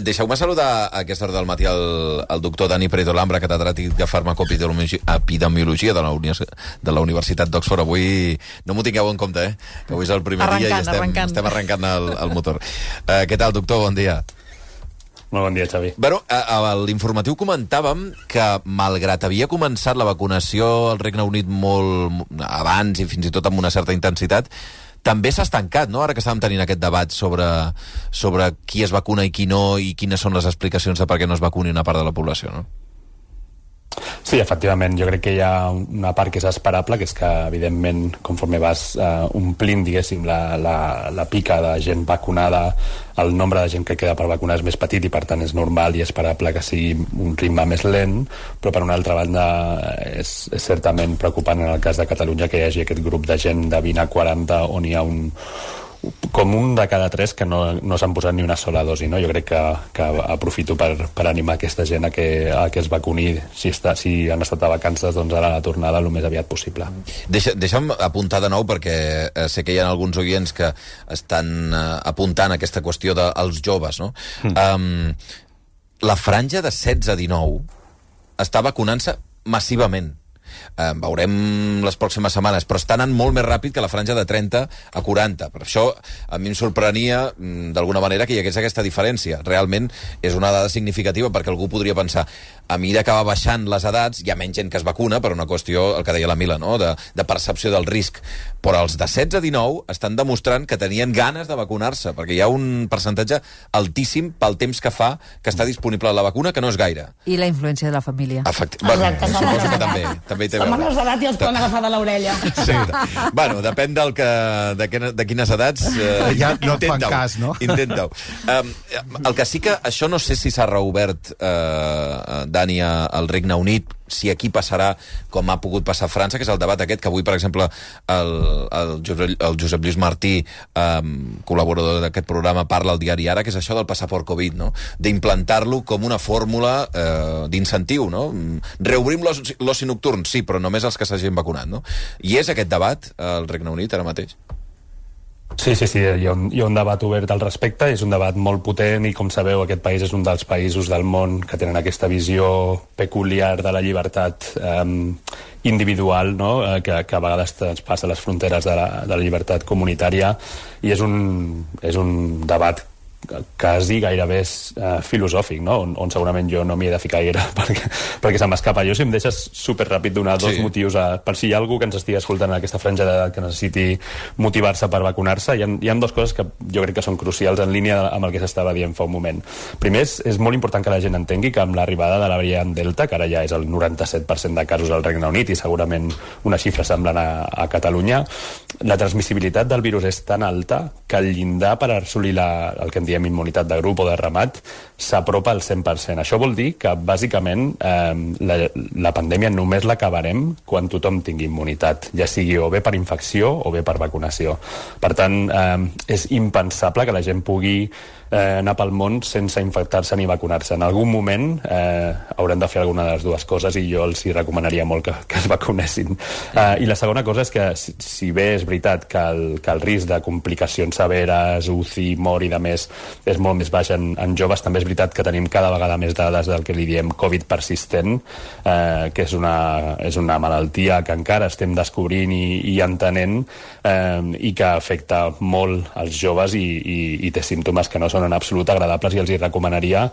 Deixeu-me saludar a aquesta hora del matí el doctor Dani Pereto-Lambra, catedràtic de farmacoepidemiologia de la Universitat d'Oxford. Avui no m'ho tingueu en compte, que avui és el primer dia i estem arrencant el motor. Què tal, doctor? Bon dia. Molt bon dia, Xavi. Bueno, a l'informatiu comentàvem que, malgrat havia començat la vacunació al Regne Unit molt abans i fins i tot amb una certa intensitat, també s'ha estancat, no?, ara que estàvem tenint aquest debat sobre qui es vacuna i qui no, i quines són les explicacions de per què no es vacuni una part de la població, no? Sí, efectivament, jo crec que hi ha una part que és esperable, que és que, evidentment, conforme vas omplint, diguéssim, la pica de gent vacunada, el nombre de gent que queda per vacunar és més petit i, per tant, és normal i esperable que sigui un ritme més lent, però, per una altra banda, és certament preocupant en el cas de Catalunya que hi hagi aquest grup de gent de 20 a 40 on hi ha com un de cada 3 que no s'han posat ni una sola dosi, no? Jo crec que aprofito per animar aquesta gent a que es vacuni si han estat de vacances, doncs ara a la tornada el més aviat possible. Deixa'm apuntar de nou, perquè sé que hi ha alguns oients que estan apuntant aquesta qüestió dels joves, no? La franja de 16 a 19 està vacunant-se massivament. Veurem les pròximes setmanes, però està anant molt més ràpid que la franja de 30 a 40. Per això a mi em sorprenia d'alguna manera que hi hagués aquesta diferència. Realment és una dada significativa, perquè algú podria pensar, a mesura que va baixant les edats hi ha menys gent que es vacuna per una qüestió, el que deia la Mila, no?, de percepció del risc, però els de 16 a 19 estan demostrant que tenien ganes de vacunar-se, perquè hi ha un percentatge altíssim pel temps que fa que està disponible la vacuna, que no és gaire. I la influència de la família. Bueno, suposo que també hi té a veure. Som menors d'edat i els poden agafar de l'orella. Sí. Bueno, depèn de quines edats. Ja no et fan cas, no? Intenta-ho. El que sí que això no sé si s'ha reobert, Dani, al Regne Unit, si aquí passarà com ha pogut passar a França, que és el debat aquest que avui, per exemple, el Josep Lluís Martí, col·laborador d'aquest programa, parla al diari Ara, que és això del passaport Covid, no?, d'implantar-lo com una fórmula d'incentiu, no? Reobrim l'oci nocturn, sí, però només els que s'hagin vacunat, no? I és aquest debat al Regne Unit ara mateix? Sí, hi ha un debat obert al respecte, és un debat molt potent i, com sabeu, aquest país és un dels països del món que tenen aquesta visió peculiar de la llibertat individual, no?, que a vegades passa les fronteres de la llibertat comunitària, i és un debat quasi gairebé filosòfic, no?, on segurament jo no m'hi he de ficar gaire perquè se m'escapa. Jo, si em deixes superràpid donar dos motius per si hi ha algú que ens estigui escoltant en aquesta franja d'edat que necessiti motivar-se per vacunar-se. Hi ha dues coses que jo crec que són crucials en línia amb el que s'estava dient fa un moment. Primer, és molt important que la gent entengui que amb l'arribada de la variant Delta, que ara ja és el 97% de casos al Regne Unit i segurament una xifra semblant a Catalunya, la transmissibilitat del virus és tan alta que el llindar per assolir el que en diem immunitat de grup o de ramat s'apropa al 100%. Això vol dir que, bàsicament, la pandèmia només l'acabarem quan tothom tingui immunitat, ja sigui o bé per infecció o bé per vacunació. Per tant, és impensable que la gent pugui anar pel món sense infectar-se ni vacunar-se. En algun moment haurem de fer alguna de les dues coses i jo els hi recomanaria molt que es vacunessin. I la segona cosa és que, si bé és veritat que el risc de complicacions severes, UCI, mort i de més és molt més baix en joves, també és veritat que tenim cada vegada més dades del que li diem Covid persistent, que és una malaltia que encara estem descobrint i entenent, i que afecta molt els joves i té símptomes que no són en absolut agradables, i els hi recomanaria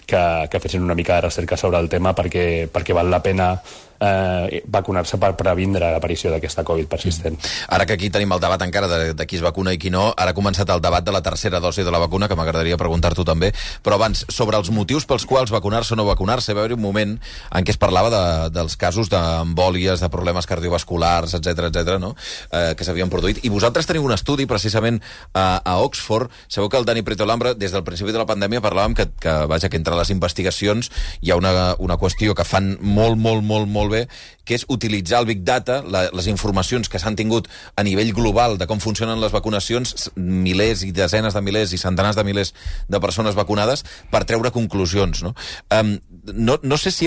que fessin una mica de recerca sobre el tema perquè val la pena vacunar-se per previndre l'aparició d'aquesta Covid persistent. Ara que aquí tenim el debat encara de qui es vacuna i qui no, ara ha començat el debat de la tercera dosi de la vacuna, que m'agradaria preguntar-t'ho també, però abans, sobre els motius pels quals vacunar-se o no vacunar-se, va haver un moment en què es parlava dels casos d'embòlies, de problemes cardiovasculars, etc., no?, que s'havien produït, i vosaltres teniu un estudi precisament a Oxford. Sabeu que el Dani Pereto-Lambra, des del principi de la pandèmia, parlàvem que entre les investigacions hi ha una qüestió que fan molt bé, que és utilitzar el Big Data, les informacions que s'han tingut a nivell global de com funcionen les vacunacions, milers i desenes de milers i centenars de milers de persones vacunades, per treure conclusions, no? No sé si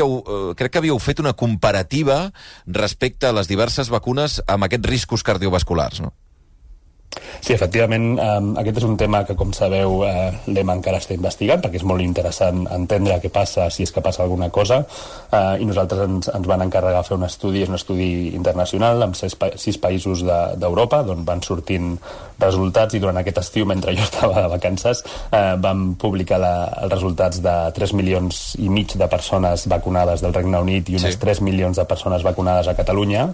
crec que havíeu fet una comparativa respecte a les diverses vacunes amb aquests riscos cardiovasculars, no? Sí, efectivament, aquest és un tema que, com sabeu, l'EMA encara està investigant, perquè és molt interessant entendre què passa, si és que passa alguna cosa, i nosaltres ens van encarregar fer un estudi, és un estudi internacional, amb 6 països d'Europa, d'on van sortint resultats, i durant aquest estiu, mentre jo estava de vacances, vam publicar els resultats de 3 milions i mig de persones vacunades del Regne Unit i unes 3 milions de persones vacunades a Catalunya,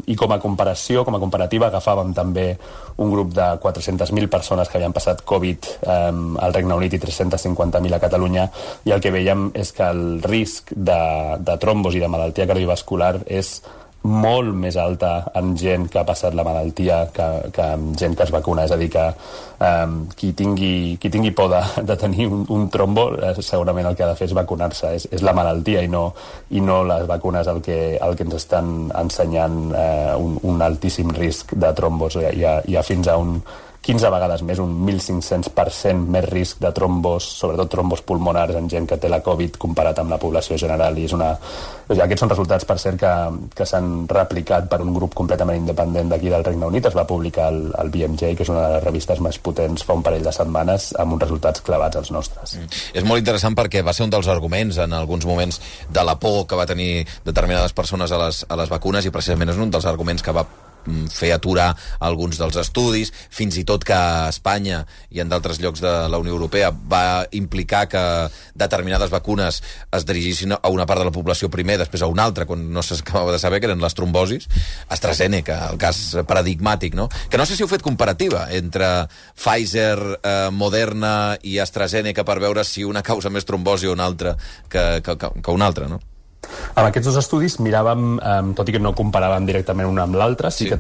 i com a comparació, com a comparativa, agafàvem també un grup de 400.000 persones que havien passat Covid al Regne Unit i 350.000 a Catalunya, i el que veiem és que el risc de trombos i de malaltia cardiovascular és molt més alta en gent que ha passat la malaltia que en gent que es vacuna. És a dir, que qui tingui por de tenir un trombo, segurament el que ha de fer és vacunar-se. És la malaltia i no les vacunes el que ens estan ensenyant un altíssim risc de trombos. Hi ha fins a un 15 vegades més, un 1.500% més risc de trombos, sobretot trombos pulmonars en gent que té la Covid comparat amb la població general. I aquests són resultats, per cert, que s'han replicat per un grup completament independent d'aquí del Regne Unit. Es va publicar al BMJ, que és una de les revistes més potents, fa un parell de setmanes, amb uns resultats clavats als nostres. És molt interessant perquè va ser un dels arguments en alguns moments de la por que va tenir determinades persones a les vacunes, i precisament és un dels arguments que va fer aturar alguns dels estudis, fins i tot que a Espanya i en d'altres llocs de la Unió Europea va implicar que determinades vacunes es dirigissin a una part de la població primer, després a una altra, quan no s'acabava de saber, que eren les trombosis. AstraZeneca, el cas paradigmàtic, no? Que no sé si heu fet comparativa entre Pfizer, Moderna i AstraZeneca per veure si una causa més trombosi o una altra que una altra, no? Amb aquests 2 estudis miràvem, tot i que no comparàvem directament un amb l'altre, sí que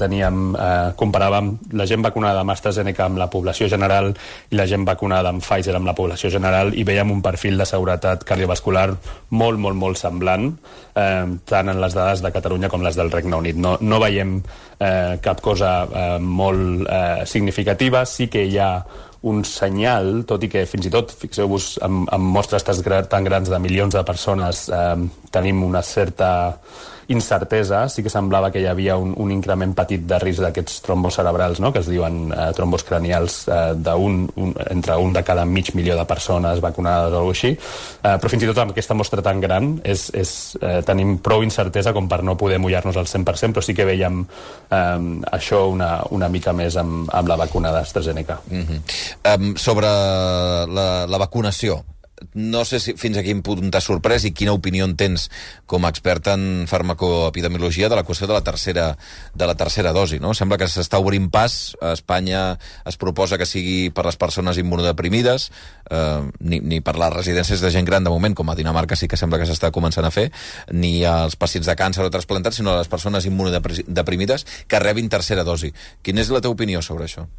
comparàvem la gent vacunada amb AstraZeneca amb la població general i la gent vacunada amb Pfizer amb la població general, i veiem un perfil de seguretat cardiovascular molt, molt, molt semblant, tant en les dades de Catalunya com les del Regne Unit. No veiem cap cosa molt significativa. Sí que hi ha un senyal, tot i que fins i tot, fixeu-vos, amb mostres tan grans de milions de persones tenim una certa incertesa. Sí que semblava que hi havia un increment petit de risc d'aquests trombos cerebrals, no?, que es diuen trombos cranials, entre un de cada mig milió de persones vacunades o alguna cosa així, però fins i tot amb aquesta mostra tan gran tenim prou incertesa com per no poder mullar-nos al 100%, però sí que veiem això una mica més amb la vacuna d'AstraZeneca. Sobre la vacunació, no sé fins a quin punt t'has sorprès i quina opinió en tens com a expert en farmacoepidemiologia de la qüestió de la tercera dosi, no? Sembla que s'està obrint pas. A Espanya es proposa que sigui per les persones immunodeprimides, ni per les residències de gent gran de moment, com a Dinamarca sí que sembla que s'està començant a fer, ni als pacients de càncer o trasplantats, sinó a les persones immunodeprimides que rebin tercera dosi. Quina és la teva opinió sobre això?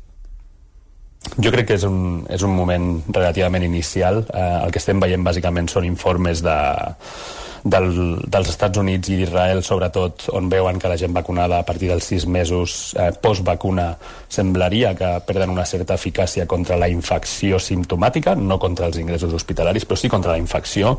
Jo crec que és un moment relativament inicial. El que estem veient bàsicament són informes dels Estats Units i d'Israel, sobretot, on veuen que la gent vacunada a partir dels 6 mesos post-vacuna semblaria que perden una certa eficàcia contra la infecció simptomàtica, no contra els ingressos hospitalaris, però sí contra la infecció.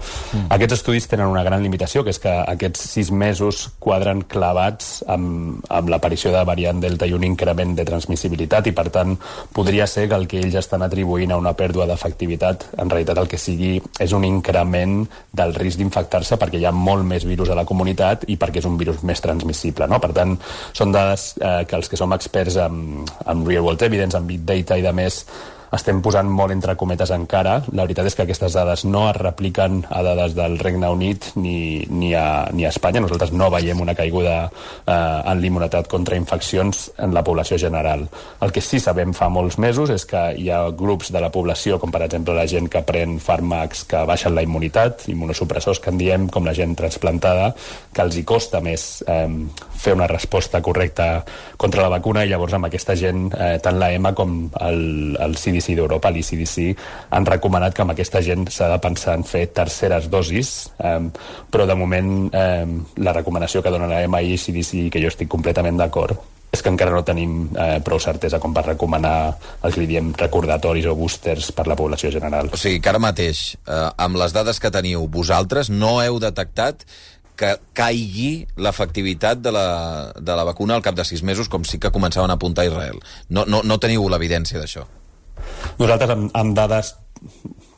Aquests estudis tenen una gran limitació, que és que aquests 6 mesos quadren clavats amb l'aparició de variant Delta i un increment de transmissibilitat, i per tant podria ser que el que ells estan atribuint a una pèrdua d'efectivitat en realitat el que sigui és un increment del risc d'infectar-se, perquè hi ha molt més virus a la comunitat i perquè és un virus més transmissible, no? Per tant, són dades que els que som experts en real world evidence, en big data i de més, estem posant molt entre cometes encara. La veritat és que aquestes dades no es repliquen a dades del Regne Unit ni a Espanya. Nosaltres no veiem una caiguda en l'immunitat contra infeccions en la població general. El que sí sabem fa molts mesos és que hi ha grups de la població, com per exemple la gent que pren fàrmacs que baixen la immunitat, immunosupressors que en diem, com la gent transplantada, que els hi costa més fer una resposta correcta contra la vacuna, i llavors amb aquesta gent, tant la EMA com el CDC d'Europa, l'ECDC, han recomanat que amb aquesta gent s'ha de pensar en fer terceres dosis, però de moment la recomanació que dona la EMA i l'ECDC, que jo estic completament d'acord, és que encara no tenim prou certesa com per recomanar el que li diem recordatoris o boosters per la població general. O sigui que ara mateix, amb les dades que teniu, vosaltres no heu detectat que caigui l'efectivitat de la vacuna al cap de 6 mesos, com sí que començaven a apuntar a Israel. No teniu l'evidència d'això? Nosaltres, amb dades,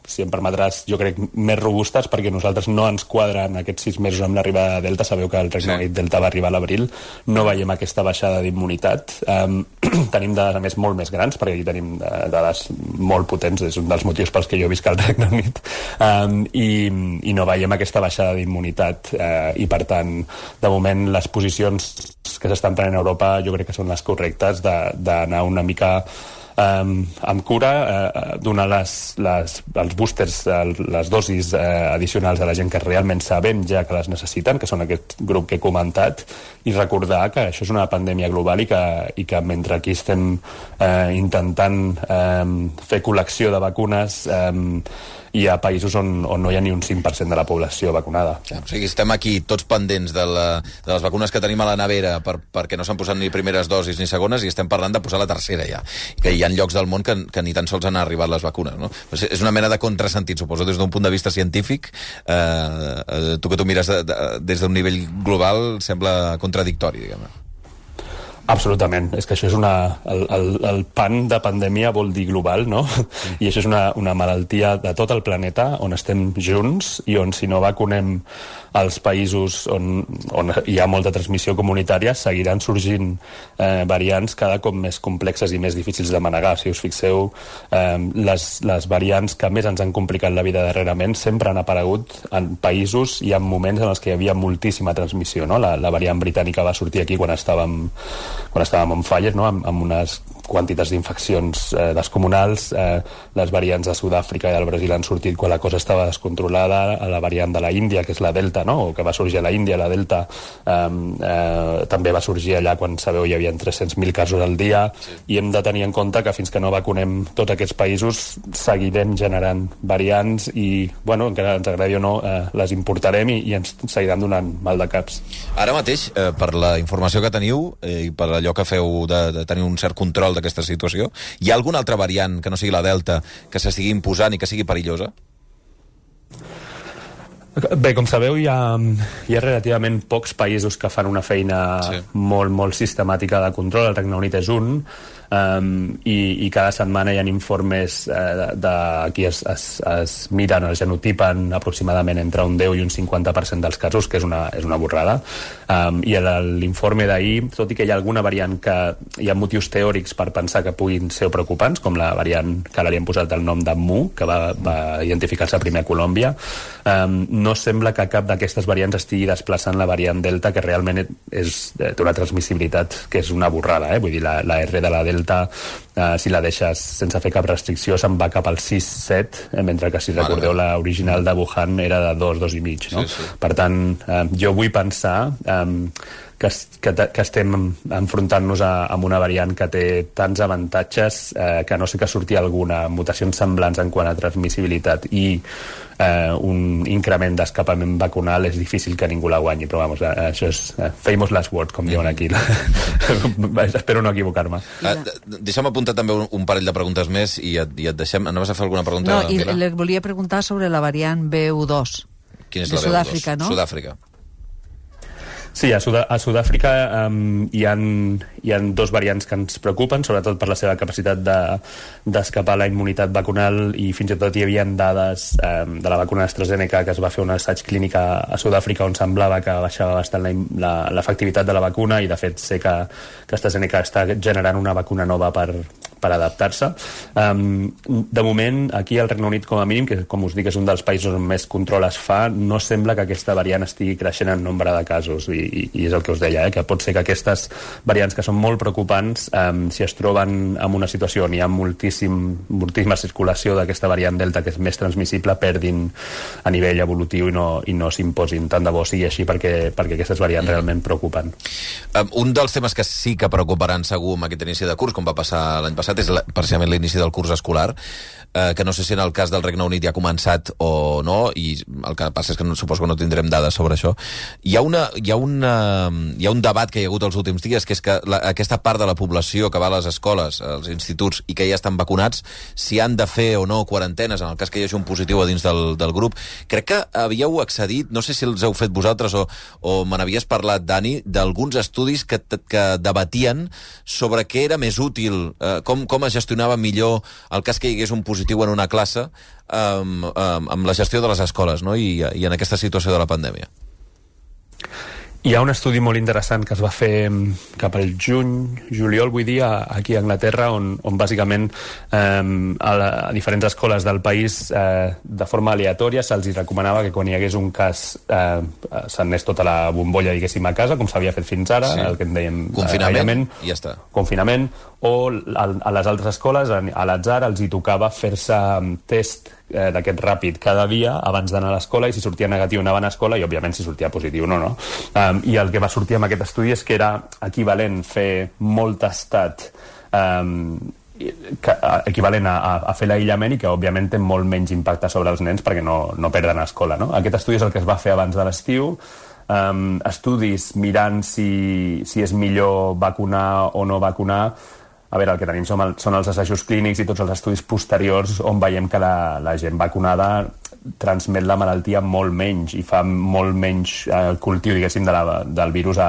si em permetràs, jo crec, més robustes, perquè nosaltres no ens quadren aquests 6 mesos amb l'arribada de Delta. Sabeu que el Regne Unit Delta va arribar a l'abril. No veiem aquesta baixada d'immunitat. Tenim dades, a més, molt més grans, perquè aquí tenim dades molt potents, és un dels motius pels que jo visc al Regne Unit, i no veiem aquesta baixada d'immunitat. I, per tant, de moment, les posicions que s'estan prenent a Europa jo crec que són les correctes, d'anar una mica amb cura, donar els boosters, les dosis addicionals a la gent que realment sabem ja que les necessiten, que són aquest grup que he comentat, i recordar que això és una pandèmia global i que mentre aquí estem intentant fer col·lecció de vacunes, hi ha països on no hi ha ni un 5% de la població vacunada. O sigui, estem aquí tots pendents de les vacunes que tenim a la nevera perquè no s'han posat ni primeres dosis ni segones, i estem parlant de posar la tercera ja. Que hi ha llocs del món que ni tan sols han arribat les vacunes, no? És una mena de contrasentit, suposo, des d'un punt de vista científic. Tu que t'ho mires des d'un nivell global sembla contradictori, diguem-ne. Absolutament, és que això és el pan de pandèmia vol dir global, no? I això és una malaltia de tot el planeta on estem junts i on, si no vacunem als països on hi ha molta transmissió comunitària, seguiran sorgint variants cada cop més complexes i més difícils de manegar. Si us fixeu, les variants que més ens han complicat la vida darrerament sempre han aparegut en països i en moments en els que hi havia moltíssima transmissió, no? La variant britànica va sortir aquí quan estàvem on fire, no? Amb unes quantitats d'infeccions descomunals. Les variants de Sud-àfrica i del Brasil han sortit quan la cosa estava descontrolada. La variant de la Índia, que és la Delta, no? O que va sorgir a la Índia, la Delta, també va sorgir allà quan, sabeu, hi havia 300.000 casos al dia. Sí. I hem de tenir en compte que fins que no vacunem tots aquests països seguirem generant variants i, bueno, encara ens agradi o no, les importarem i ens seguiran donant mal de caps. Ara mateix, per la informació que teniu i per allò que feu de tenir un cert control d'aquesta situació, hi ha alguna altra variant que no sigui la Delta que s'estigui imposant i que sigui perillosa? Bé, com sabeu, hi ha relativament pocs països que fan una feina molt, molt sistemàtica de control. El Regne Unit és un, i cada setmana hi ha informes aquí es miren, es genotipen aproximadament entre un 10 i un 50% dels casos, que és una borrada. I l'informe d'ahir, tot i que hi ha alguna variant que hi ha motius teòrics per pensar que puguin ser preocupants, com la variant que ara li hem posat el nom de Mu, que va identificar-se primer a Colòmbia, no sembla que cap d'aquestes variants estigui desplaçant la variant Delta, que realment té una transmissibilitat que és una borrada, vull dir, la R de la Delta, si la deixes sense fer cap restricció, se'n va cap al 6-7, mentre que, si recordeu, l'original de Wuhan era de 2,5, no? Sí. Per tant, jo vull pensar que estem enfrontant-nos amb una variant que té tants avantatges que, no sé que surti alguna mutacions semblants en quant a transmissibilitat i un increment d'escapament vacunal, és difícil que ningú la guanyi, però vamos, això és famous last word, com diuen aquí. Espero no equivocar-me. Deixa'm apuntar també un parell de preguntes més i et deixem. Anaves a fer alguna pregunta? No, i le volia preguntar sobre la variant BU2 de Sud-àfrica, no? Sud-àfrica. Sí, a Sud-àfrica hi ha dos variants que ens preocupen, sobretot per la seva capacitat d'escapar la immunitat vacunal, i fins i tot hi havia dades de la vacuna AstraZeneca, que es va fer un assaig clínic a Sud-àfrica on semblava que baixava bastant l'efectivitat de la vacuna, i de fet sé que AstraZeneca està generant una vacuna nova per adaptar-se. De moment, aquí al Regne Unit, com a mínim, que com us dic és un dels països on més control es fa, no sembla que aquesta variant estigui creixent en nombre de casos, i és el que us deia, que pot ser que aquestes variants que són molt preocupants, si es troben en una situació on hi ha moltíssima circulació d'aquesta variant Delta, que és més transmissible, perdin a nivell evolutiu i no s'imposin. Tant de bo sigui així, perquè aquestes variants realment preocupen. Un dels temes que sí que preocuparan segur amb aquest inici de curs, com va passar l'any passat, començat, és precisament l'inici del curs escolar, que no sé si en el cas del Regne Unit ja ha començat o no, i el que passa és que suposo que no tindrem dades sobre això. Hi ha un debat que hi ha hagut els últims dies, que és que aquesta part de la població que va a les escoles, als instituts, i que ja estan vacunats, si han de fer o no quarantenes, en el cas que hi hagi un positiu a dins del grup. Crec que havíeu accedit, no sé si els heu fet vosaltres o me n'havies parlat, Dani, d'alguns estudis que debatien sobre què era més útil, com es gestionava millor el cas que hi hagués un positiu en una classe amb la gestió de les escoles, no? I en aquesta situació de la pandèmia. Hi ha un estudi molt interessant que es va fer cap al juliol, vull dir, aquí a Anglaterra, on bàsicament a diferents escoles del país de forma aleatòria se'ls recomanava que quan hi hagués un cas s'anés tota la bombolla, diguéssim, a casa, com s'havia fet fins ara, el que en dèiem confinament, i ja està. Confinament, o a les altres escoles, a l'atzar, els hi tocava fer-se test d'aquest ràpid cada dia abans d'anar a l'escola, i si sortia negatiu anaven a l'escola, i òbviament si sortia positiu no. I el que va sortir amb aquest estudi és que era equivalent fer molt tastat, equivalent a fer l'aïllament, i que òbviament té molt menys impacte sobre els nens perquè no perden a escola, no? Aquest estudi és el que es va fer abans de l'estiu. Estudis mirant si és millor vacunar o no vacunar. A veure, el que tenim són els assajos clínics i tots els estudis posteriors on veiem que la gent vacunada transmet la malaltia molt menys i fa molt menys cultiu, diguéssim, del virus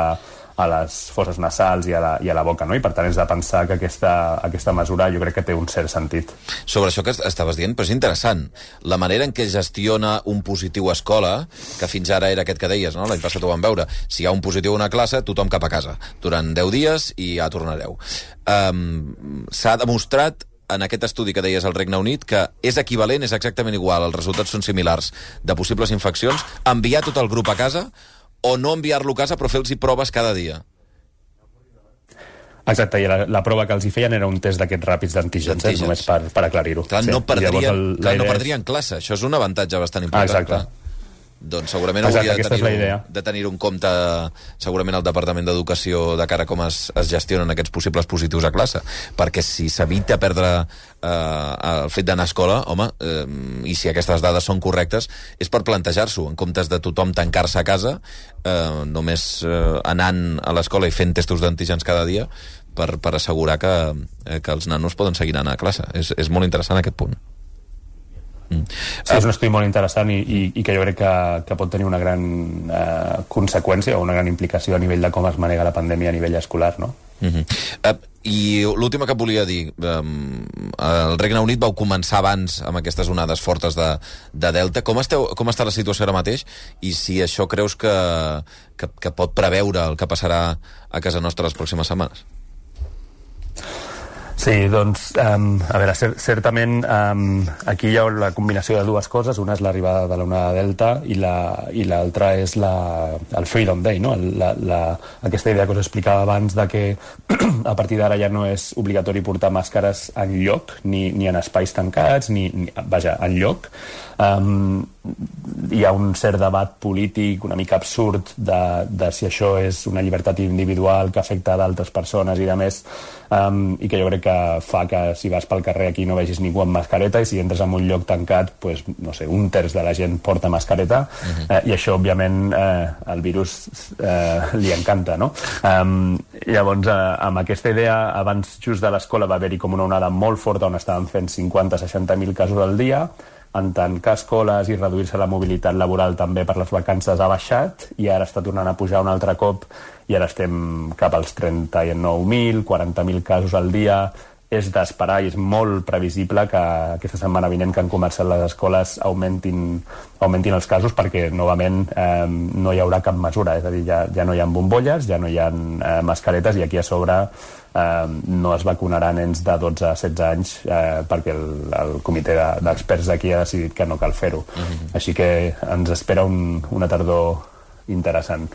a les fosses nasals i a la boca, no? I per tant és de pensar que aquesta mesura jo crec que té un cert sentit. Sobre això que estaves dient, però és interessant. La manera en què gestiona un positiu a escola, que fins ara era aquest que deies, no? L'any passat ho vam veure. Si hi ha un positiu a una classe, tothom cap a casa. Durant 10 dies i ja tornareu. S'ha demostrat en aquest estudi que deies al Regne Unit que és equivalent, és exactament igual, els resultats són similars, de possibles infeccions, enviar tot el grup a casa o no enviar-lo a casa però fer-los proves cada dia. Exacte, i la prova que els hi feien era un test d'aquests ràpids d'antígens, només per aclarir-ho. Clar, no perdrien classe, això és un avantatge bastant important. Exacte. Doncs segurament hauria de tenir-ho en compte segurament el Departament d'Educació de cara a com es gestionen aquests possibles positius a classe, perquè si s'evita perdre el fet d'anar a escola, home, i si aquestes dades són correctes, és per plantejar-s'ho, en comptes de tothom tancar-se a casa, només anant a l'escola i fent testos d'antígens cada dia per assegurar que els nanos poden seguir anant a classe. És molt interessant aquest punt. Sí, és un estudi molt interessant i que jo crec que pot tenir una gran conseqüència o una gran implicació a nivell de com es manega la pandèmia a nivell escolar, no? I l'última que et volia dir, el Regne Unit vau començar abans amb aquestes onades fortes de Delta. Com està la situació ara mateix i si això creus que pot preveure el que passarà a casa nostra les pròximes setmanes? Sí, doncs, a veure, certament aquí hi ha la combinació de dues coses. Una és l'arribada de l'onada Delta i l'altra és el Freedom Day, no? Aquesta idea que us explicava abans de que a partir d'ara ja no és obligatori portar màscares enlloc, ni en espais tancats, vaja, enlloc. Hi ha un cert debat polític una mica absurd de si això és una llibertat individual que afecta a d'altres persones i de més, i que jo crec que fa que si vas pel carrer aquí no vegis ningú amb mascareta, i si entres en un lloc tancat, pues, no sé, un terç de la gent porta mascareta, i això òbviament al virus li encanta, no? Llavors, amb aquesta idea, abans just de l'escola va haver-hi com una onada molt forta on estaven fent 50-60.000 casos al dia. En tant que escoles i reduir-se la mobilitat laboral també per les vacances ha baixat, i ara està tornant a pujar un altre cop, i ara estem cap als 39.000, 40.000 casos al dia. És d'esperar i és molt previsible que aquesta setmana vinent, que han començat les escoles, augmentin els casos, perquè novament no hi haurà cap mesura, és a dir, ja no hi ha bombolles, ja no hi ha mascaretes, i aquí a sobre no es vacunarà nens de 12 a 16 anys perquè el comitè d'experts d'aquí ha decidit que no cal fer-ho. Així que ens espera una tardor interessant.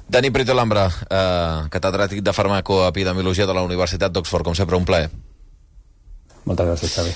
Dani Prieto Lambra, catedràtic de farmacoepidemiologia de la Universitat d'Oxford, com sempre un plaer. Moltes gràcies, Xavi.